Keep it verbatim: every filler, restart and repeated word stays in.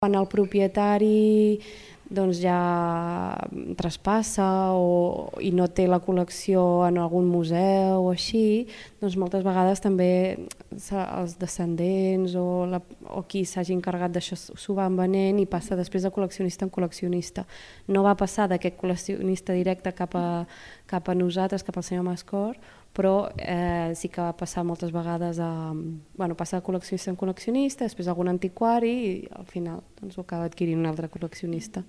Quan el propietari doncs, ja traspassa o, i no té la col·lecció en algun museu o així, doncs moltes vegades també els descendents o, la, o qui s'hagi encarregat d'això s'ho van venent i passa després de col·leccionista en col·leccionista. No va passar d'aquest col·leccionista directe cap a, cap a nosaltres, cap al senyor Mascor, però eh, sí que va passar moltes vegades a, bueno, passa de col·leccionista en col·leccionista, després algun antiquari i al final doncs, ho acaba adquirint un altre col·leccionista.